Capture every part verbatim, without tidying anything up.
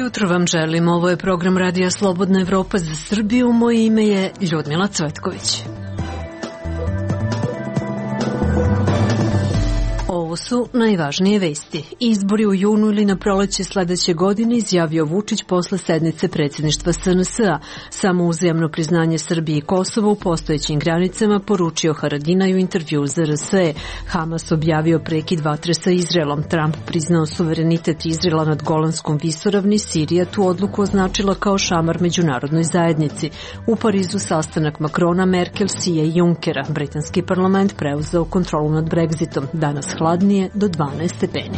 jutro vam želim. Ovo je program Radija Slobodna Evropa za Srbiju. Moje ime je Ljudmila Cvetković. Ovo su najvažnije vesti. Izbori u junu ili na proleće sledeće godine, izjavio Vučić posle sednice predsjedništva S N S-a. Samo uzajamno priznanje Srbije i Kosova u postojećim granicama, poručio Haradinaj u intervju za R S E. Hamas objavio prekid vatre sa Izraelom. Trump priznao suverenitet Izraela nad Golanskom visoravni. Sirija tu odluku označila kao šamar međunarodnoj zajednici. U Parizu sastanak Makrona, Merkel, Sije i Junckera. Britanski parlament preuzeo kontrolu nad Brexitom. Danas hladnije do dvanaest stepeni.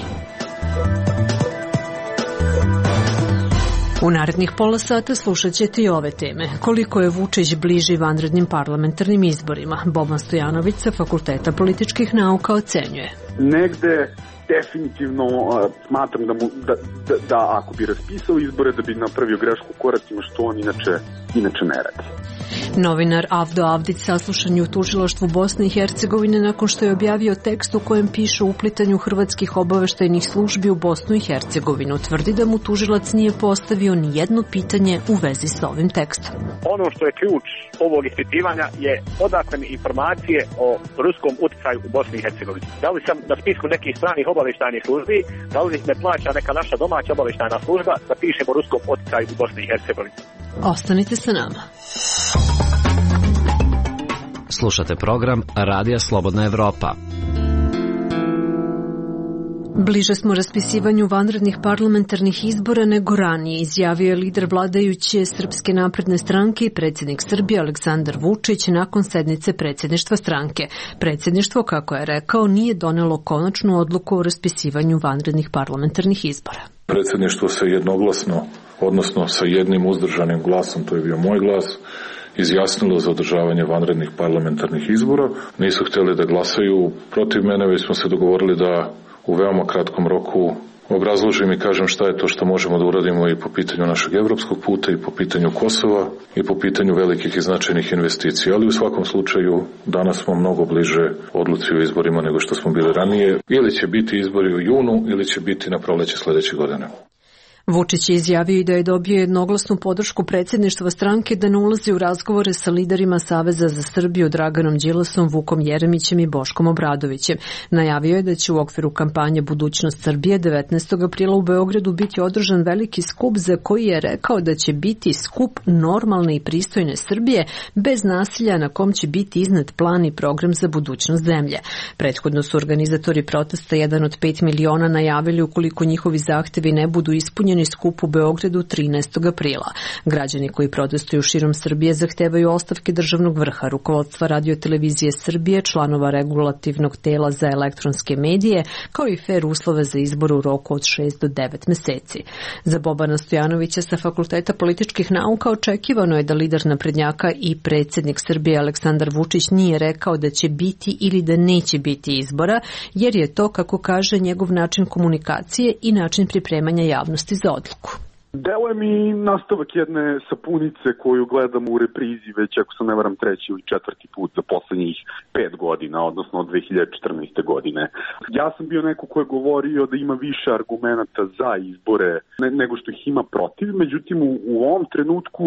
U narednih pola sata slušat ćete i ove teme. Koliko je Vučić bliži vanrednim parlamentarnim izborima? Boban Stojanović sa Fakulteta političkih nauka ocenjuje. Negde definitivno uh, smatram da, mu, da, da, da ako bi raspisao izbore da bi napravio grešku u koracima, što on inače, inače ne radi. Novinar Avdo Avdić saslušan je u tužilaštvu Bosne i Hercegovine nakon što je objavio tekst u kojem piše o uplitanju hrvatskih obaveštajnih službi u Bosnu i Hercegovinu. Tvrdi da mu tužilac nije postavio ni jedno pitanje u vezi s ovim tekstom. Ono što je ključ ovog ispitivanja je odakle mi informacije o ruskom uticaju u Bosni i Hercegovini. Da li sam na spisku nekih stranih obaveštajnih službi, da li me plaća neka naša domaća obaveštajna služba da pišemo o ruskom uticaju u Bosni i Hercegovini. Ostanite sa nama. Slušate program Radija Slobodna Evropa. Bliže smo raspisivanju vanrednih parlamentarnih izbora nego ranije, izjavio je lider vladajuće Srpske napredne stranke i predsjednik Srbije Aleksandar Vučić nakon sednice predsjedništva stranke. Predsjedništvo, kako je rekao, nije donelo konačnu odluku o raspisivanju vanrednih parlamentarnih izbora. Predsjedništvo se jednoglasno, odnosno sa jednim uzdržanim glasom, to je bio moj glas, izjasnilo za održavanje vanrednih parlamentarnih izbora. Nisu htjeli da glasaju protiv mene, već smo se dogovorili da u veoma kratkom roku obrazložim i kažem šta je to što možemo da uradimo i po pitanju našeg evropskog puta i po pitanju Kosova i po pitanju velikih i značajnih investicija. Ali u svakom slučaju danas smo mnogo bliže odluci o izborima nego što smo bili ranije. Ili će biti izbori u junu ili će biti na proleće sledeće godine. Vučić je izjavio i da je dobio jednoglasnu podršku predsjedništva stranke da ne ulazi u razgovore sa liderima Saveza za Srbiju Draganom Đilasom, Vukom Jeremićem i Boškom Obradovićem. Najavio je da će u okviru kampanje Budućnost Srbije devetnaestog aprila u Beogradu biti održan veliki skup za koji je rekao da će biti skup normalne i pristojne Srbije bez nasilja, na kom će biti iznet plan i program za budućnost zemlje. Prethodno su organizatori protesta jedan od pet miliona najavili ukoliko njihovi zahtevi ne budu ispunjeni skup u Beogradu trinaestog aprila. Građani koji protestuju širom Srbije zahtevaju ostavke državnog vrha, rukovodstva Radio-televizije Srbije, članova regulativnog tela za elektronske medije, kao i fer uslove za izbor u roku od šest do devet meseci. Za Bobana Stojanovića sa Fakulteta političkih nauka očekivano je da lider naprednjaka i predsjednik Srbije Aleksandar Vučić nije rekao da će biti ili da neće biti izbora, jer je to, kako kaže, njegov način komunikacije i način pripremanja javnosti za odluku. Deluje mi nastavak jedne sapunice koju gledamo u reprizi već, ako se ne varam, treći ili četvrti put za poslednjih pet godina, odnosno od dve hiljade četrnaeste. godine. Ja sam bio neko ko je govorio da ima više argumenata za izbore ne, nego što ih ima protiv, međutim u, u ovom trenutku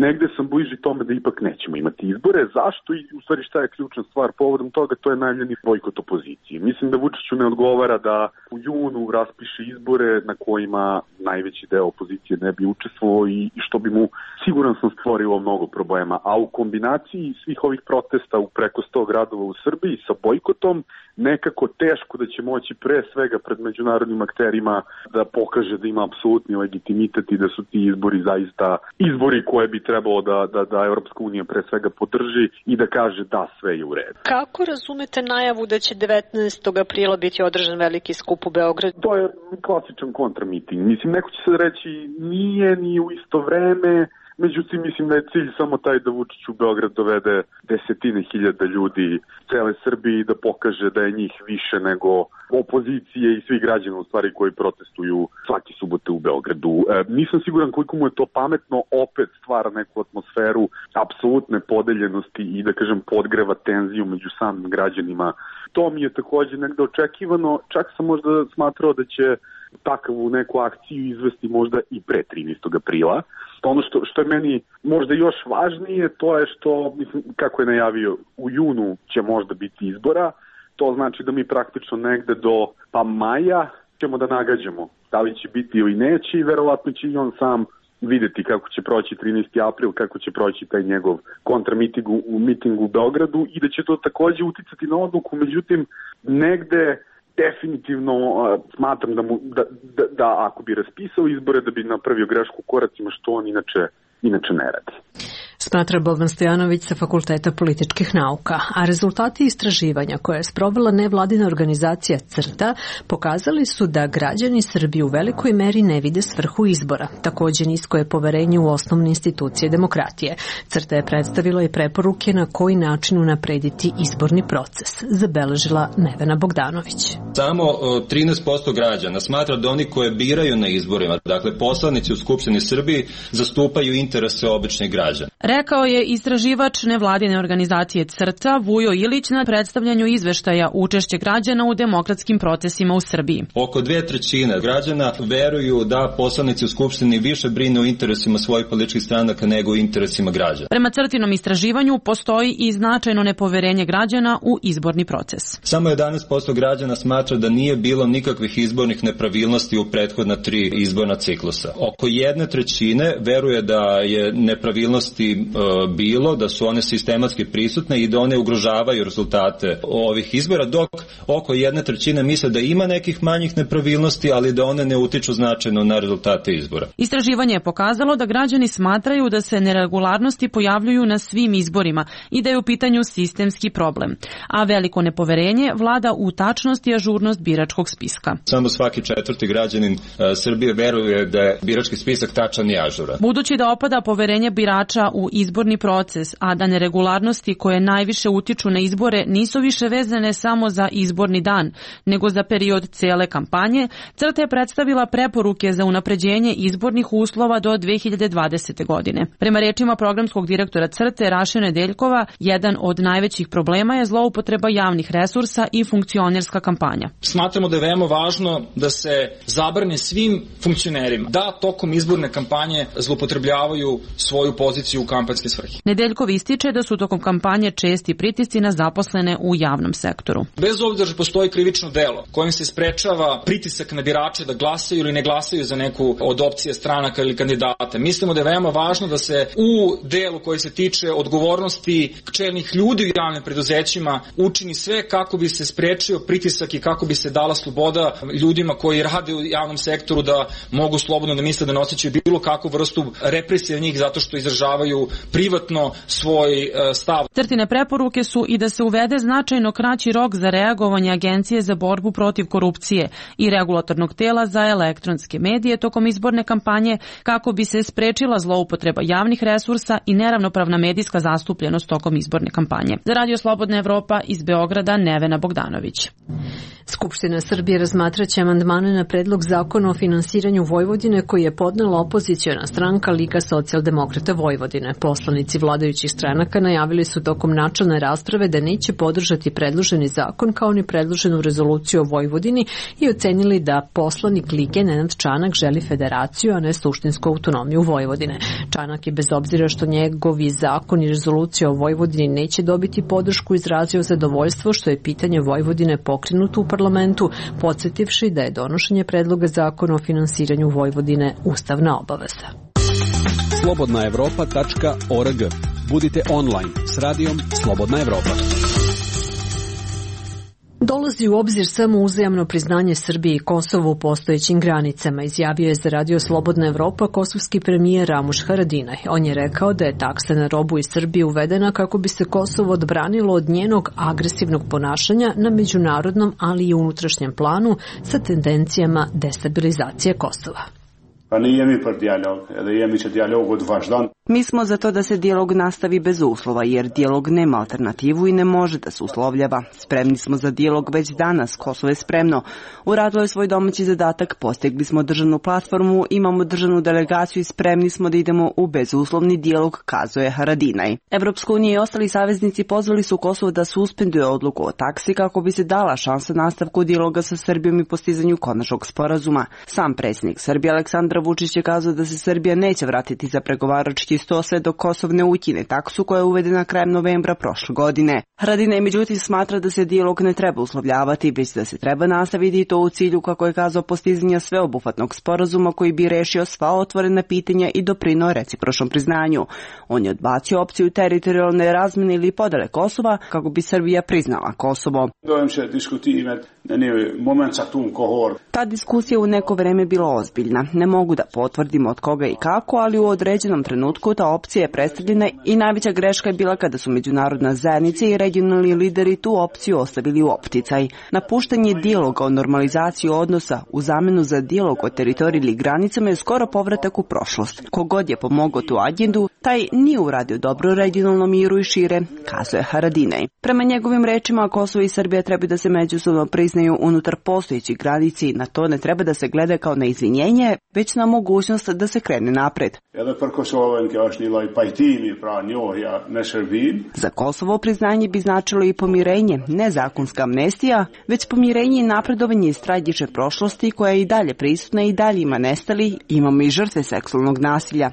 negde sam bliži tome da ipak nećemo imati izbore. Zašto i u stvari šta je ključna stvar povodom toga? To je najavljeni bojkot opozicije. Mislim da Vučiću ne odgovara da u junu raspiše izbore na kojima najveći deo opozicije ne bi učestvovao i što bi mu, siguran sam, stvorilo mnogo problema. A u kombinaciji svih ovih protesta u preko sto gradova u Srbiji sa bojkotom, nekako teško da će moći pre svega pred međunarodnim akterima da pokaže da ima apsolutni legitimitet i da su ti izbori zaista izbori koje bi trebalo da, da, da Evropska unija pre svega podrži i da kaže da sve je u redu. Kako razumete najavu da će devetnaestog aprila biti održan veliki skup u Beogradu? To je klasičan kontramiting. Mislim, neko će sad reći nije ni u isto vreme, međutim mislim da je cilj samo taj da Vučić u Beograd dovede desetine hiljada ljudi cele Srbije i da pokaže da je njih više nego opozicije i svi građani u stvari koji protestuju svake subote u Beogradu. E, nisam siguran koliko mu je to pametno, opet stvara neku atmosferu apsolutne podeljenosti i da kažem podgreva tenziju među samim građanima. To mi je takođe negde očekivano, čak sam možda smatrao da će takvu neku akciju izvesti možda i pre trinaestog aprila. Ono što, što je meni možda još važnije, to je što, mislim, kako je najavio, u junu će možda biti izbora, to znači da mi praktično negde do pa maja ćemo da nagađamo da li će biti ili neće i verovatno će i on sam videti kako će proći trinaesti april, kako će proći taj njegov kontramiting u mitingu u Beogradu i da će to takođe uticati na odluku, međutim negde definitivno uh, smatram da, mu, da, da, da ako bi raspisao izbore da bi napravio grešku u koracima što on inače, inače ne radi. Smatra Boban Stojanović sa Fakulteta političkih nauka, a rezultati istraživanja koje je sprovela nevladina organizacija CRTA pokazali su da građani Srbije u velikoj meri ne vide svrhu izbora. Takođe nisko je poverenje u osnovne institucije demokratije. CRTA je predstavila i preporuke na koji način unaprediti izborni proces, zabeležila Nevena Bogdanović. Samo trinaest posto građana smatra da oni koje biraju na izborima, dakle poslanici u Skupštini Srbiji, zastupaju interese običnih građana. Rekao je istraživač nevladine organizacije CRTA Vujo Ilić na predstavljanju izveštaja učešće građana u demokratskim procesima u Srbiji. Oko dve trećine građana veruju da poslanici u Skupštini više brinu o interesima svojih političkih stranaka nego o interesima građana. Prema CRTinom istraživanju postoji i značajno nepoverenje građana u izborni proces. Samo jedanaest posto građana smatra da nije bilo nikakvih izbornih nepravilnosti u prethodna tri izborna ciklusa. Oko jedne trećine veruje da je nepravilnosti bilo, da su one sistematski prisutne i da one ugrožavaju rezultate ovih izbora, dok oko jedne trećine misle da ima nekih manjih nepravilnosti, ali da one ne utiču značajno na rezultate izbora. Istraživanje je pokazalo da građani smatraju da se neregularnosti pojavljuju na svim izborima i da je u pitanju sistemski problem, a veliko nepoverenje vlada u tačnost i ažurnost biračkog spiska. Samo svaki četvrti građanin Srbije veruje da je birački spisak tačan i ažuran. Budući da opada poverenje birača u izborni proces, a da neregularnosti koje najviše utiču na izbore nisu više vezane samo za izborni dan, nego za period cele kampanje, CRTA je predstavila preporuke za unapređenje izbornih uslova do dve hiljade dvadesete. godine. Prema rečima programskog direktora CRTA Raše Nedeljkova, jedan od najvećih problema je zloupotreba javnih resursa i funkcionerska kampanja. Smatramo da je veoma važno da se zabrane svim funkcionerima da tokom izborne kampanje zloupotrebljavaju svoju poziciju u kampanjske svrhe. Nedeljkov ističe da su tokom kampanje česti pritisci na zaposlene u javnom sektoru. Bez obzira što postoji krivično delo kojim se sprečava pritisak na birače da glasaju ili ne glasaju za neku od opcije stranaka ili kandidata, mislimo da je veoma važno da se u delu koji se tiče odgovornosti čelnih ljudi u javnim preduzećima učini sve kako bi se sprečio pritisak i kako bi se dala sloboda ljudima koji rade u javnom sektoru da mogu slobodno da misle da ne osjećaju bilo kakvu vrstu represije njih zato što izražavaju privatno svoj stav. CRTine preporuke su i da se uvede značajno kraći rok za reagovanje Agencije za borbu protiv korupcije i regulatornog tela za elektronske medije tokom izborne kampanje kako bi se sprečila zloupotreba javnih resursa i neravnopravna medijska zastupljenost tokom izborne kampanje. Za Radio Slobodna Evropa iz Beograda Nevena Bogdanović. Skupština Srbije razmatraće amandmane na predlog zakona o finansiranju Vojvodine koji je podnela opoziciona stranka Liga socijaldemokrata Vojvodine. Poslanici vladajućih stranaka najavili su tokom načelne rasprave da neće podržati predloženi zakon kao ni predloženu rezoluciju o Vojvodini i ocenili da poslanik Lige Nenad Čanak želi federaciju, a ne suštinsku autonomiju Vojvodine. Čanak je bez obzira što njegovi zakon i rezolucija o Vojvodini neće dobiti podršku izrazio zadovoljstvo što je pitanje Vojvodine pokrenuto u parlamentu, podsjetivši da je donošenje predloga zakona o finansiranju Vojvodine ustavna obaveza. slobodna evropa tačka org. Budite online s radijom Slobodna Evropa. Dolazi u obzir samo uzajamno priznanje Srbije i Kosova u postojećim granicama, izjavio je za Radio Slobodna Evropa kosovski premijer Ramuš Haradinaj. On je rekao da je taksa na robu iz Srbije uvedena kako bi se Kosovo odbranilo od njenog agresivnog ponašanja na međunarodnom, ali i unutrašnjem planu sa tendencijama destabilizacije Kosova. Pa ne jemi për dijalog, edhe jemi që dijalogu të vazhdon. Mi smo za to da se dijalog nastavi bez uslova, jer dijalog nema alternativu i ne može da se uslovljava. Spremni smo za dijalog već danas, Kosovo je spremno. Uradilo je svoj domaći zadatak, postigli smo državnu platformu, imamo državnu delegaciju i spremni smo da idemo u bezuslovni dijalog, kazuje Haradinaj. Evropska unija i ostali saveznici pozvali su Kosovo da suspenduje odluku o taksi kako bi se dala šansa nastavku dijaloga sa Srbijom i postizanju konačnog sporazuma. Sam predsjednik Srbije Aleksandar Vučić je kazao da se Srbija neće vratiti za pregovarački sto sve dok Kosov ne ukine taksu koja je uvedena krajem novembra prošle godine. Haradinaj međutim smatra da se dijalog ne treba uslovljavati, već da se treba nastaviti i to u cilju, kako je kazao, postizanja sveobuhvatnog sporazuma koji bi rešio sva otvorena pitanja i doprineo recipročnom priznanju. On je odbacio opciju teritorijalne razmene ili podele Kosova kako bi Srbija priznala Kosovo. Ta diskusija u neko vreme bila ozbiljna. Ne mogu da potvrdim od koga i kako, ali u određenom trenutku ta opcija je predstavljena i najveća greška je bila kada su međunarodna zajednica i regionalni lideri tu opciju ostavili u opticaj. Napuštanje dijaloga o normalizaciji odnosa u zamenu za dijalog o teritoriji ili granicama je skoro povratak u prošlost. Kogod je pomogao tu agendu, taj nije uradio dobro regionalnom miru i šire, kazuje Haradinaj. Prema njegovim rečima, Kosovo i Srbija treba da se međusobno priznaju unutar postojećih granici, na to ne treba da se gleda kao na izvinjenje, već na mogućnost da se krene napred. Za Kosovo priznanje bi značilo i pomirenje, ne zakonska amnestija, već pomirenje i napredovanje iz tragične prošlosti koja je i dalje prisutna i dalje ima nestali, imamo i žrtve seksualnog nasilja.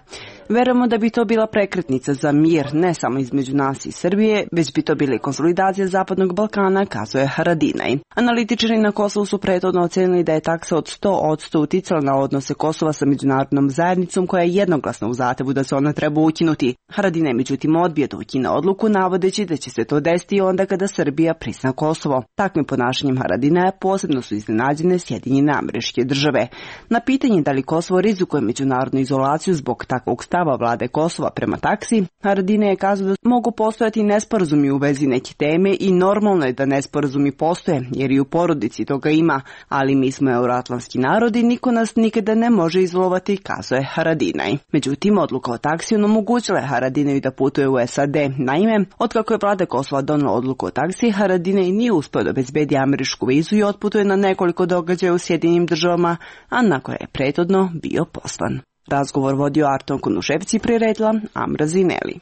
Verujemo da bi to bila prekretnica za mir, ne samo između nas i Srbije, već bi to bila i konsolidacija Zapadnog Balkana, kazuje Haradinaj. Analitičari na Kosovu su prethodno ocenili da je taksa od sto posto uticala na odnose Kosova sa međunarodnom zajednicom, koja je jednoglasna u zahtevu da se ona treba ukinuti. Haradinaj međutim odbija da ukine odluku, navodeći da će se to desiti onda kada Srbija prizna Kosovo. Takvim ponašanjem Haradinaja posebno su iznenađene Sjedinjene Američke Države. Na pitanje da li Kosovo rizikuje međunarodnu izolaciju zbog takvog stava vlade Kosova prema taksi, Haradinaj je kazao da mogu postojati nesporazumi u vezi neke teme i normalno je da nesporazumi postoje, jer i u porodici toga ima, ali mi smo euroatlantski narod i niko nas nikada ne može izolovati, kazuje Haradinaj. Međutim, odluka o taksi omogućila je Haradinaju da putuje u S A D. Naime, otkako je vlada Kosova donela odluku o taksi, Haradinaj nije uspeo da obezbedi američku vizu i otputuje na nekoliko događaja u Sjedinjenim Državama, a na koje je prethodno bio poslan. Razgovor vodio Arton Kunuševci, priredila Amra Zineli.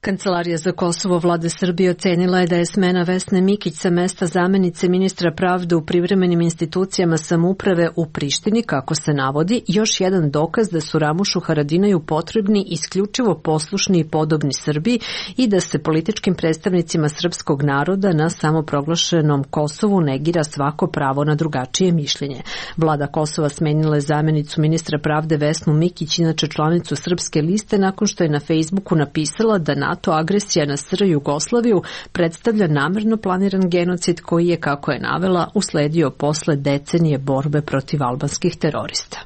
Kancelarija za Kosovo vlade Srbije ocenila je da je smena Vesne Mikić sa mesta zamenice ministra pravde u privremenim institucijama samouprave u Prištini, kako se navodi, još jedan dokaz da su Ramušu Haradinaju potrebni isključivo poslušni i podobni Srbiji i da se političkim predstavnicima srpskog naroda na samoproglašenom Kosovu negira svako pravo na drugačije mišljenje. Vlada Kosova smenila je zamenicu ministra pravde Vesnu Mikić, inače članicu Srpske liste, nakon što je na Facebooku napisala da na NATO agresija na S R Jugoslaviju predstavlja namerno planiran genocid koji je, kako je navela, usledio posle decenije borbe protiv albanskih terorista.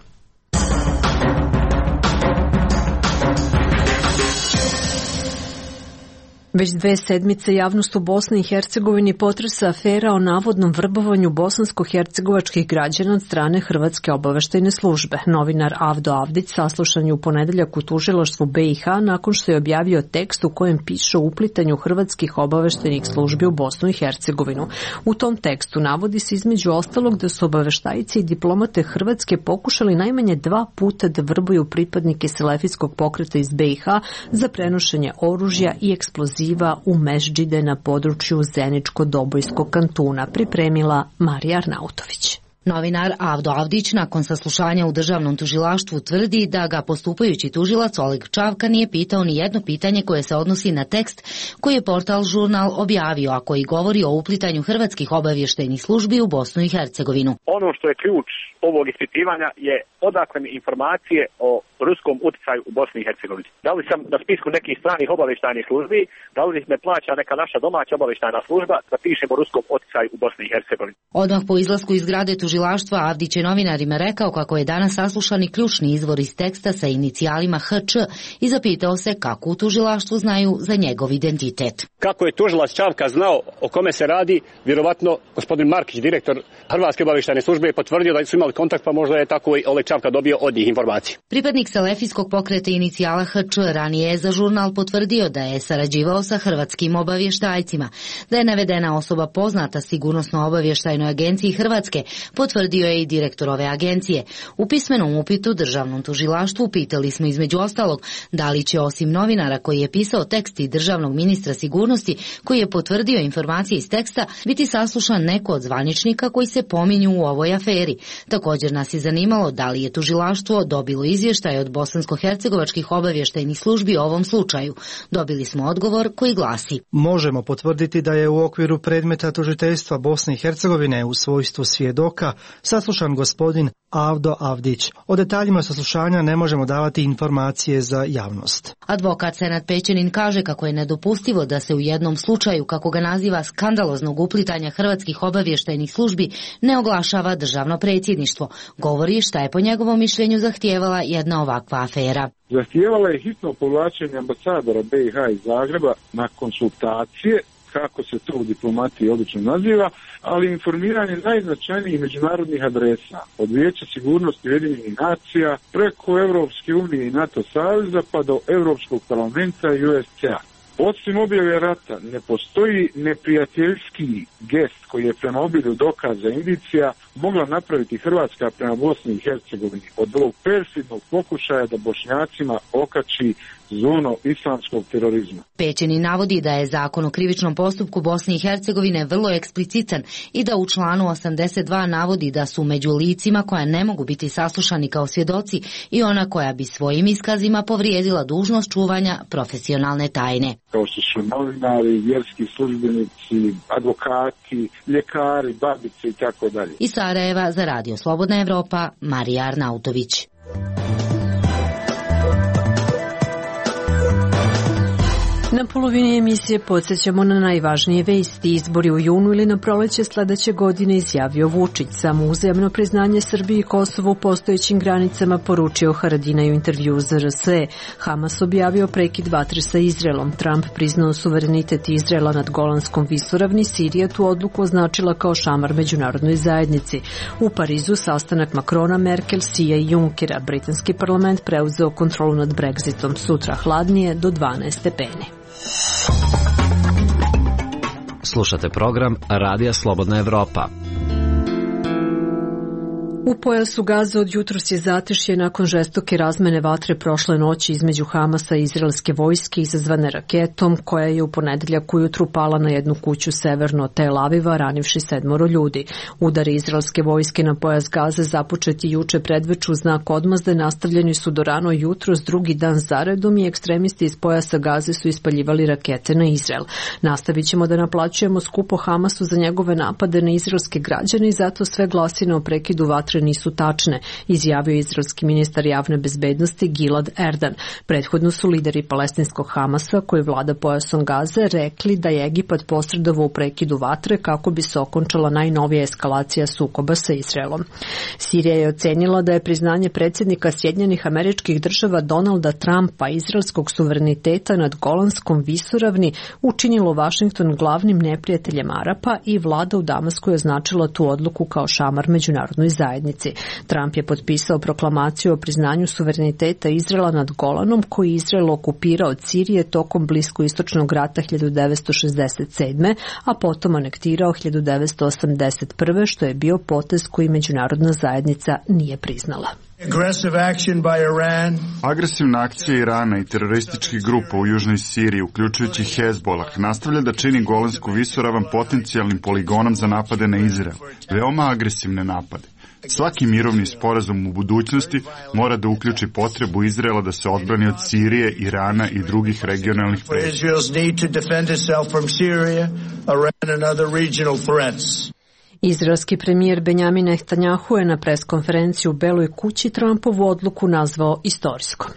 Već dve sedmice javnost u Bosni i Hercegovini potresa afera o navodnom vrbovanju bosansko-hercegovačkih građana od strane Hrvatske obaveštajne službe. Novinar Avdo Avdić saslušan je u ponedeljak u tužilaštvu B i H nakon što je objavio tekst u kojem piše o uplitanju hrvatskih obaveštajnih službi u Bosnu i Hercegovinu. U tom tekstu navodi se između ostalog da su obaveštajci i diplomate Hrvatske pokušali najmanje dva puta da vrbuju pripadnike selefijskog pokreta iz B i H za prenošenje oružja i eksploziva u mešdžide na području Zeničko-Dobojskog kantuna, pripremila Marija Arnautović. Novinar Avdo Avdić nakon saslušanja u državnom tužilaštvu tvrdi da ga postupajući tužilac Oleg Čavka nije pitao ni jedno pitanje koje se odnosi na tekst koji je portal Žurnal objavio, a koji govori o uplitanju hrvatskih obavještajnih službi u Bosnu i Hercegovinu. Ono što je ključ ovog ispitivanja je odakle mi informacije o ruskom uticaju u Bosni i Hercegovini. Da li sam na spisku nekih stranih obavještajnih službi, da li me plaća neka naša domaća obavještajna služba da pišemo ruskom uticaju u Bosni i Hercegovini. Odmah po izlasku iz zgrade tužilaštva Avdić je novinarima rekao kako je danas saslušani ključni izvor iz teksta sa inicijalima H Č i zapitao se kako u tužilaštvu znaju za njegov identitet. Kako je tužilac Čavka znao o kome se radi, vjerovatno gospodin Markić, direktor Hrvatske obavještajne službe, je potvrdio da su imali kontakt, pa možda je tako i ovaj Čavka dobio od njih informacije. Pripadnik Selefijskog pokreta inicijala H Č ranije je za žurnal potvrdio da je sarađivao sa hrvatskim obavještajcima. Da je navedena osoba poznata Sigurnosno-obavještajnoj agenciji Hrvatske, potvrdio je i direktor ove agencije. U pismenom upitu državnom tužilaštvu pitali smo između ostalog da li će osim novinara koji je pisao tekst i državnog ministra sigurnosti koji je potvrdio informacije iz teksta biti saslušan neko od zvaničnika koji se pominju u ovoj aferi. Također nas je zanimalo da li je tužilaštvo dobilo izvještaj od bosansko-hercegovačkih obavještajnih službi o ovom slučaju. Dobili smo odgovor koji glasi: Možemo potvrditi da je u okviru predmeta tužiteljstva Bosne i Hercegovine u svojstvu svjedoka saslušan gospodin Avdo Avdić. O detaljima saslušanja ne možemo davati informacije za javnost. Advokat Senad Pećanin kaže kako je nedopustivo da se u jednom slučaju, kako ga naziva, skandaloznog uplitanja hrvatskih obavještajnih službi ne oglašava državno predsjedništvo. Govori šta je po njegovom mišljenju zahtijevala jedna ovakva afera. Zahtijevala je hitno povlačenje ambasadora B i H iz Zagreba na konsultacije, kako se to u diplomatiji obično naziva, ali informiranje najznačajnijih međunarodnih adresa, od Vijeća sigurnosti Ujedinjenih nacija, preko Europske unije i NATO saveza pa do Europskog parlamenta i U S C A. Osim objave rata, ne postoji neprijateljski gest koji je prema obilju dokaza indicija mogla napraviti Hrvatska prema Bosni i Hercegovini od ovog perfidnog pokušaja da Bošnjacima okači zonu islamskog terorizma. Pećeni navodi da je zakon o krivičnom postupku Bosne i Hercegovine vrlo eksplicitan i da u članu osamdeset dva navodi da su među licima koja ne mogu biti saslušani kao svjedoci i ona koja bi svojim iskazima povrijedila dužnost čuvanja profesionalne tajne. Kao što su novinari, vjerski službenici, advokati, ljekari, babice i tako dalje. Iz Sarajeva za Radio Slobodna Evropa, Marija Arnautović. Na polovini emisije podsjećamo na najvažnije vesti. Izbori u junu ili na proleće sledeće godine, izjavio Vučić. Samo uzajamno priznanje Srbiji i Kosovo u postojećim granicama, poručio Haradinaj u intervju za R S E. Hamas objavio prekid vatre sa Izraelom. Trump priznao suverenitet Izraela nad Golanskom visoravni. Sirija tu odluku označila kao šamar međunarodnoj zajednici. U Parizu sastanak Makrona, Merkel, Sija i Junkera. Britanski parlament preuzeo kontrolu nad Brexitom. Sutra hladnije do dvanaest stepeni. Slušate program Radija Slobodna Evropa. U pojasu Gaze od jutros je zatešje nakon žestoke razmene vatre prošle noći između Hamasa i izraelske vojske izazvane raketom koja je u ponedeljak ujutru pala na jednu kuću severno od Tel Aviva, ranivši sedmoro ljudi. Udari izraelske vojske na pojas Gaze započeti juče predveču u znak odmazde nastavljeni su do rano jutros, drugi dan zaredom, i ekstremisti iz pojasa Gaze su ispaljivali rakete na Izrael. Nastavit ćemo da naplaćujemo skupo Hamasu za njegove napade na izraelske građane i zato sve glasine o prekidu vatre nisu tačne, izjavio izraelski ministar javne bezbednosti Gilad Erdan. Prethodno su lideri palestinskog Hamasa, koji vlada pojasom Gaze, rekli da je Egipat posredovao u prekidu vatre kako bi se okončala najnovija eskalacija sukoba sa Izraelom. Sirija je ocenila da je priznanje predsjednika Sjedinjenih Američkih Država Donalda Trumpa izraelskog suvereniteta nad Golanskom visoravni učinilo Vašington glavnim neprijateljem Arapa i vlada u Damasku je označila tu odluku kao šamar međunarodnoj zajednici. Trump je potpisao proklamaciju o priznanju suvereniteta Izraela nad Golanom, koji je Izrael okupirao od Sirije tokom bliskoistočnog rata hiljadu devetsto šezdeset sedme. a potom anektirao hiljadu devetsto osamdeset prve. što je bio potez koji međunarodna zajednica nije priznala. Agresivna akcija Irana i terorističkih grupa u južnoj Siriji, uključujući Hezbolah, nastavlja da čini Golansku visoravan potencijalnim poligonom za napade na Izrael. Veoma agresivne napade. Svaki mirovni sporazum u budućnosti mora da uključi potrebu Izraela da se odbrani od Sirije, Irana i drugih regionalnih pretnji. Izraelski premijer Benjamin Netanjahu je na preskonferenciji u Beloj kući Trumpovu odluku nazvao istorijskom.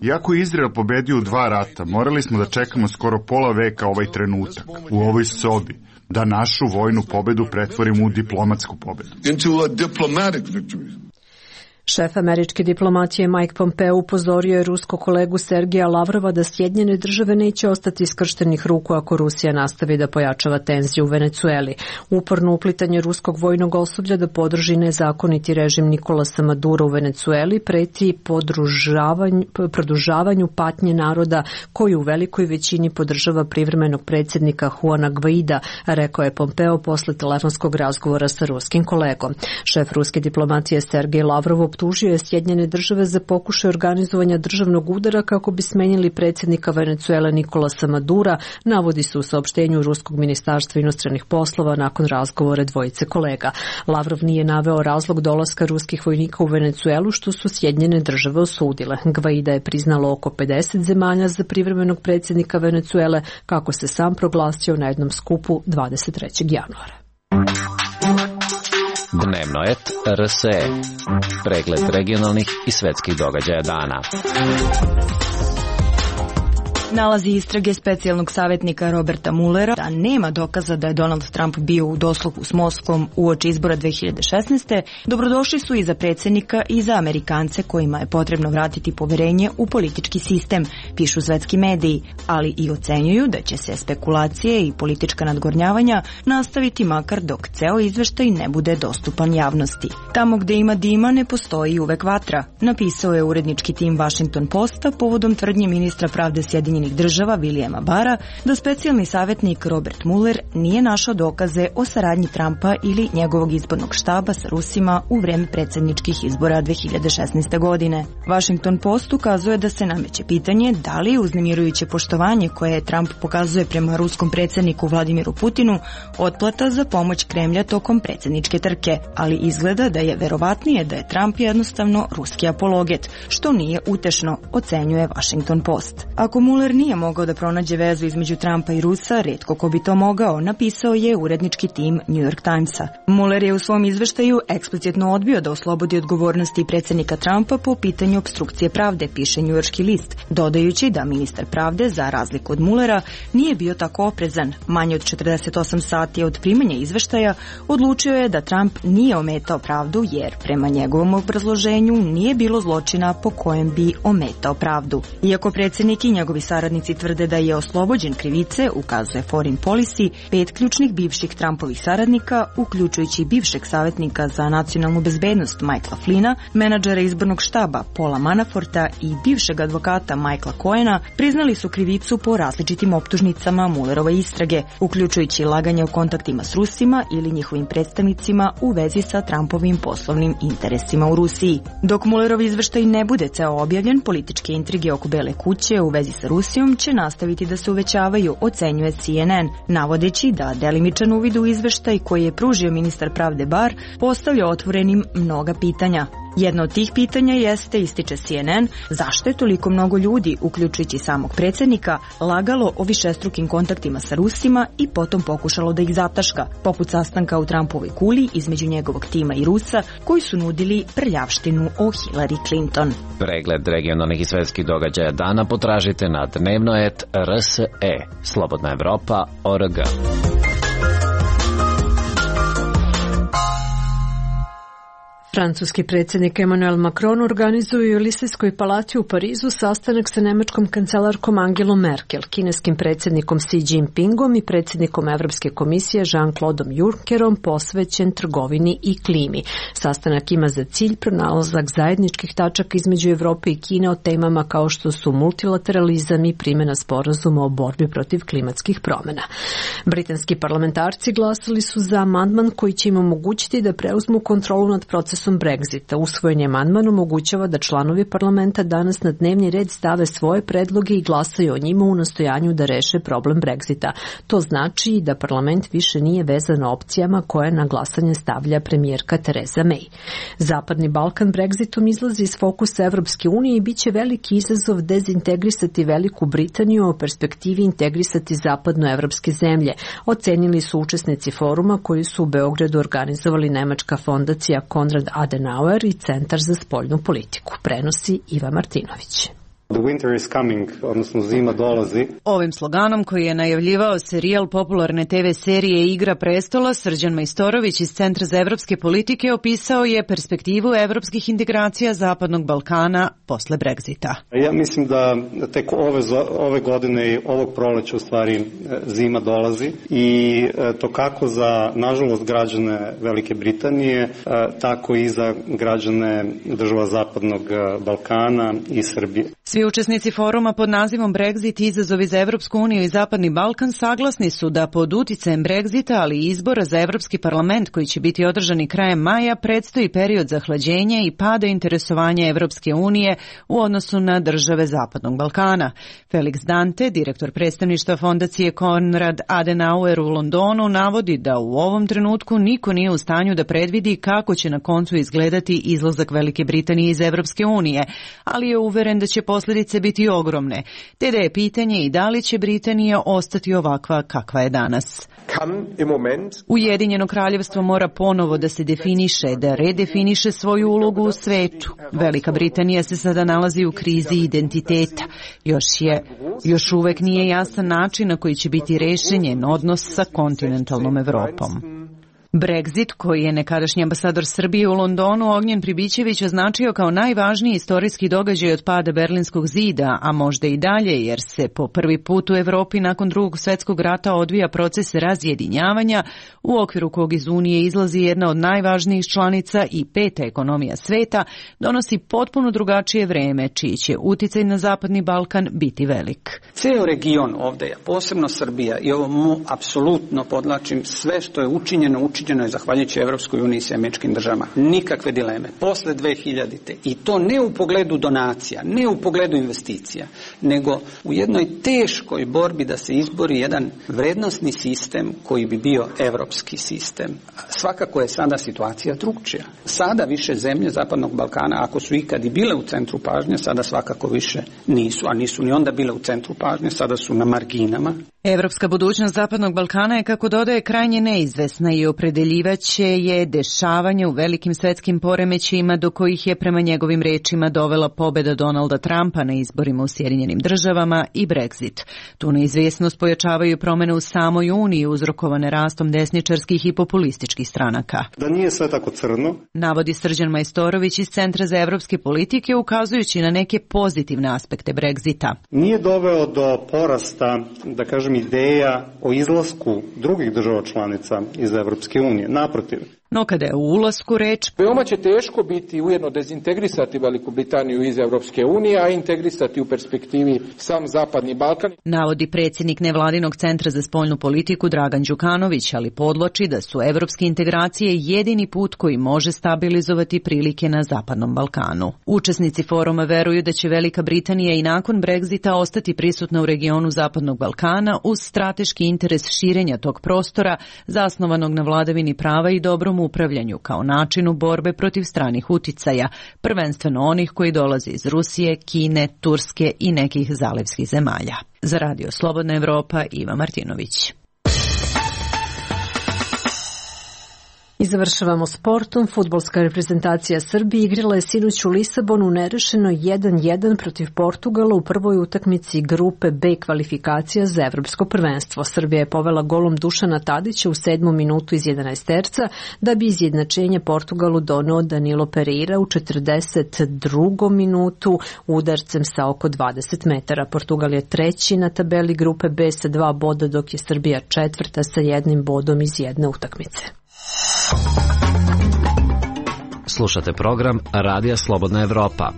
Iako je Izrael pobedio u dva rata, morali smo da čekamo skoro pola veka ovaj trenutak, u ovoj sobi, da našu vojnu pobedu pretvorimo u diplomatsku pobedu. Šef američke diplomatije Mike Pompeo upozorio je ruskog kolegu Sergeja Lavrova da Sjedinjene države neće ostati iskrštenih ruku ako Rusija nastavi da pojačava tenziju u Venecueli. Uporno uplitanje ruskog vojnog osoblja da podrži nezakoniti režim Nikolasa Madura u Venecueli preti produžavanju patnje naroda koji u velikoj većini podržava privremenog predsjednika Juana Guaida, rekao je Pompeo posle telefonskog razgovora sa ruskim kolegom. Šef ruske diplomatije Sergej Lavrov optužio je Sjedinjene države za pokušaj organizovanja državnog udara kako bi smenili predsjednika Venecuele Nikolasa Madura, navodi se u saopštenju Ruskog ministarstva inostranih poslova nakon razgovora dvojice kolega. Lavrov nije naveo razlog dolaska ruskih vojnika u Venecuelu, što su Sjedinjene države osudile. Guaida je priznalo oko pedeset zemalja za privremenog predsjednika Venecuele, kako se sam proglasio na jednom skupu dvadeset trećeg januara. Dnevnoet R S E. Pregled regionalnih i svetskih događaja dana. Nalazi istrage specijalnog savjetnika Roberta Muellera da nema dokaza da je Donald Trump bio u dosluhu s Moskvom uoči izbora dve hiljade šesnaeste. Dobrodošli su i za predsjednika i za Amerikance kojima je potrebno vratiti poverenje u politički sistem, pišu svetski mediji, ali i ocenjuju da će se spekulacije i politička nadgornjavanja nastaviti makar dok ceo izveštaj ne bude dostupan javnosti. Tamo gde ima dima ne postoji uvek vatra, napisao je urednički tim Washington Posta povodom tvrdnje ministra pravde Sjedinjenih država Williama Barra da specijalni savjetnik Robert Mueller nije našao dokaze o saradnji Trumpa ili njegovog izbornog štaba sa Rusima u vreme predsjedničkih izbora dve hiljade šesnaeste. godine. Washington Post ukazuje da se nameće pitanje da li je uznemirujuće poštovanje koje Trump pokazuje prema ruskom predsjedniku Vladimiru Putinu otplata za pomoć Kremlja tokom predsjedničke trke, ali izgleda da je verovatnije da je Trump jednostavno ruski apologet, što nije utešno, ocenjuje Washington Post. Ako Mueller nije mogao da pronađe vezu između Trumpa i Rusa, retko ko bi to mogao, napisao je urednički tim New York Timesa. Mueller je u svom izveštaju eksplicitno odbio da oslobodi odgovornosti predsjednika Trumpa po pitanju opstrukcije pravde, piše njujorški list, dodajući da ministar pravde, za razliku od Muellera, nije bio tako oprezan. Manje od četrdeset osam sati od primanja izveštaja odlučio je da Trump nije ometao pravdu jer, prema njegovom obrazloženju, nije bilo zločina po kojem bi ometao pravdu. Iako predsjednik i njegovi saradnici tvrde da je oslobođen krivice, ukazuje Foreign Policy, pet ključnih bivših Trumpovih saradnika, uključujući bivšeg savjetnika za nacionalnu bezbednost Michaela Flynna, menadžera izbornog štaba Paula Manaforta i bivšeg advokata Michaela Cohena, priznali su krivicu po različitim optužnicama Muellerove istrage, uključujući laganje o kontaktima s Rusima ili njihovim predstavnicima u vezi sa Trumpovim poslovnim interesima u Rusiji. Dok Muellerov izveštaj ne bude ceo objavljen, političke intrige oko Bele kuće u vezi sa Rusijom će nastaviti da se uvećavaju, ocenjuje C N N, navodeći da delimičan uvid u izveštaj koji je pružio ministar pravde Barr postavlja otvorenim mnoga pitanja. Jedno od tih pitanja jeste, ističe C N N, zašto je toliko mnogo ljudi, uključujući samog predsjednika, lagalo o višestrukim kontaktima sa Rusima i potom pokušalo da ih zataška, poput sastanka u Trumpovoj kuli između njegovog tima i Rusa, koji su nudili prljavštinu o Hillary Clinton. Pregled regionalnih i svetskih događaja dana potražite na dnevnoet R S E, Slobodna Evropa, O R G. Francuski predsjednik Emmanuel Macron organizuje u Elisejskoj palati u Parizu sastanak sa nemačkom kancelarkom Angelom Merkel, kineskim predsjednikom Xi Jinpingom i predsjednikom Evropske komisije Jean-Claude Junckerom posvećen trgovini i klimi. Sastanak ima za cilj pronalazak zajedničkih tačaka između Evrope i Kine o temama kao što su multilateralizam i primjena sporazuma o borbi protiv klimatskih promjena. Britanski parlamentarci glasali su za amandman koji će im omogućiti da preuzmu kontrolu nad procesom procesom Brexita. Usvojen amandman omogućava da članovi parlamenta danas na dnevni red stave svoje predloge i glasaju o njima u nastojanju da reše problem Brexita. To znači da parlament više nije vezan opcijama koje na glasanje stavlja premijerka Theresa May. Zapadni Balkan Brexitom izlazi iz fokusa Evropske unije i bit će veliki izazov dezintegrisati Veliku Britaniju, o perspektivi integrisati zapadnoevropske zemlje, ocenili su učesnici foruma koji su u Beogradu organizovali nemačka fondacija Konrad Adenauer i Centar za spoljnu politiku. Prenosi Iva Martinović. The winter is coming, odnosno zima dolazi. Ovim sloganom koji je najavljivao serijal popularne te ve serije Igra prestola, Srđan Majstorović iz Centra za evropske politike opisao je perspektivu evropskih integracija Zapadnog Balkana posle Brexita. Ja mislim da tek ove, ove godine i ovog proleća u stvari zima dolazi i to kako za, nažalost, građane Velike Britanije, tako i za građane država Zapadnog Balkana i Srbije. Svi učesnici foruma pod nazivom Brexit, izazovi za Evropsku uniju i Zapadni Balkan saglasni su da pod uticajem Brexita, ali i izbora za Evropski parlament koji će biti održani krajem maja, predstoji period zahlađenja i pada interesovanja Evropske unije u odnosu na države Zapadnog Balkana. Felix Dante, direktor predstavništva fondacije Konrad Adenauer u Londonu, navodi da u ovom trenutku niko nije u stanju da predvidi kako će na koncu izgledati izlazak Velike Britanije iz Evropske unije, ali je uveren da će posljedice biti ogromne, te da je pitanje i da li će Britanija ostati ovakva kakva je danas. Ujedinjeno kraljevstvo mora ponovo da se definiše, da redefiniše svoju ulogu u svetu. Velika Britanija se sada nalazi u krizi identiteta. Još je, još uvek nije jasan način na koji će biti rešen njen odnos sa kontinentalnom Evropom. Brexit, koji je nekadašnji ambasador Srbije u Londonu Ognjen Pribićević označio kao najvažniji istorijski događaj od pada Berlinskog zida, a možda i dalje, jer se po prvi put u Evropi nakon drugog svjetskog rata odvija proces razjedinjavanja, u okviru kog iz Unije izlazi jedna od najvažnijih članica i peta ekonomija sveta, donosi potpuno drugačije vreme, čiji će uticaj na Zapadni Balkan biti velik. Ceo region ovdje, posebno Srbija, i ovo mu apsolutno podlačim, sve što je učinjeno, učinjeno je zahvaljujući Evropskoj uniji i američkim državama. Nikakve dileme. Posle dve hiljadite. I to ne u pogledu donacija, ne u pogledu investicija, nego u jednoj teškoj borbi da se izbori jedan vrednosni sistem koji bi bio evropski sistem. Svakako je sada situacija drugčija. Sada više zemlje Zapadnog Balkana, ako su ikad i bile u centru pažnje, sada svakako više nisu, a nisu ni onda bile u centru pažnje, sada su na marginama. Evropska budućnost Zapadnog Balkana je, kako dodaje, krajnje neizvesna i opredeljivaće je dešavanje u velikim svetskim poremećajima do kojih je, prema njegovim rečima, dovela pobeda Donalda Trumpa na izborima u Sjedinjenim državama i Brexit. Tu neizvesnost pojačavaju promene u samoj Uniji uzrokovane rastom desničarskih i populističkih stranaka. Da nije sve tako crno, navodi Srđan Majstorović iz Centra za evropske politike, ukazujući na neke pozitivne aspekte Brexita. Nije doveo do porasta, da kažem, ideja o izlasku drugih država članica iz Evropske unije. Naprotiv. No kada je u ulasku reč, veoma će teško biti ujedno dezintegrisati Veliku Britaniju iz Evropske unije, a integrisati u perspektivi sam Zapadni Balkan. Navodi predsjednik nevladinog Centra za spoljnu politiku Dragan Đukanović, ali podvlači da su evropske integracije jedini put koji može stabilizovati prilike na Zapadnom Balkanu. Učesnici foruma veruju da će Velika Britanija i nakon Brexita ostati prisutna u regionu Zapadnog Balkana uz strateški interes širenja tog prostora zasnovanog na vladavini prava i dobrom upravljanju kao načinu borbe protiv stranih uticaja, prvenstveno onih koji dolaze iz Rusije, Kine, Turske i nekih zalivskih zemalja. Za Radio Slobodna Evropa, Iva Martinović. I završavamo sportom. Fudbalska reprezentacija Srbije igrala je sinoć u Lisabonu nerešeno jedan jedan protiv Portugala u prvoj utakmici grupe B kvalifikacija za evropsko prvenstvo. Srbija je povela golom Dušana Tadića u sedmom minutu iz jedanaesterca, da bi izjednačenje Portugalu doneo Danilo Pereira u četrdeset drugom minutu udarcem sa oko dvadeset metara. Portugal je treći na tabeli grupe B sa dva boda, dok je Srbija četvrta sa jednim bodom iz jedne utakmice. Slušate program Radija Slobodna Evropa.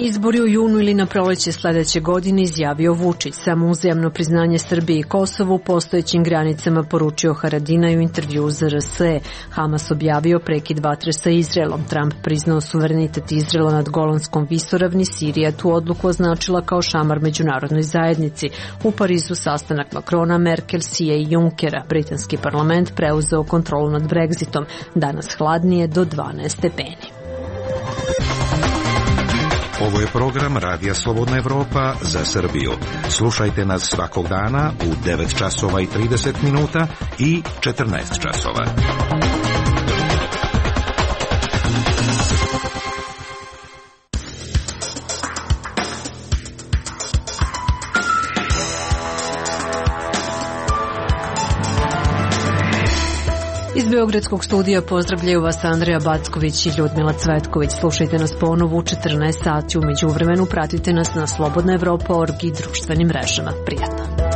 Izbori u junu ili na proleće sledeće godine, izjavio Vučić. Samo uzajamno priznanje Srbije i Kosovu u postojećim granicama, poručio Haradinaj u intervju za R S E. Hamas objavio prekid vatre sa Izraelom. Trump priznao suverenitet Izraela nad Golanskom visoravni. Sirija tu odluku označila kao šamar međunarodnoj zajednici. U Parizu sastanak Makrona, Merkel, Sije i Junckera. Britanski parlament preuzeo kontrolu nad Brexitom. Danas hladnije do dvanaest stepeni. Ovo je program Radija Slobodna Evropa za Srbiju. Slušajte nas svakog dana u devet časova i trideset minuta i četrnaest časova. Iz Beogradskog studija pozdravljaju vas Andreja Backović i Ljudmila Cvetković. Slušajte nas ponovo u četrnaest sati. U međuvremenu pratite nas na slobodna evropa tačka org i društvenim mrežama. Prijatno.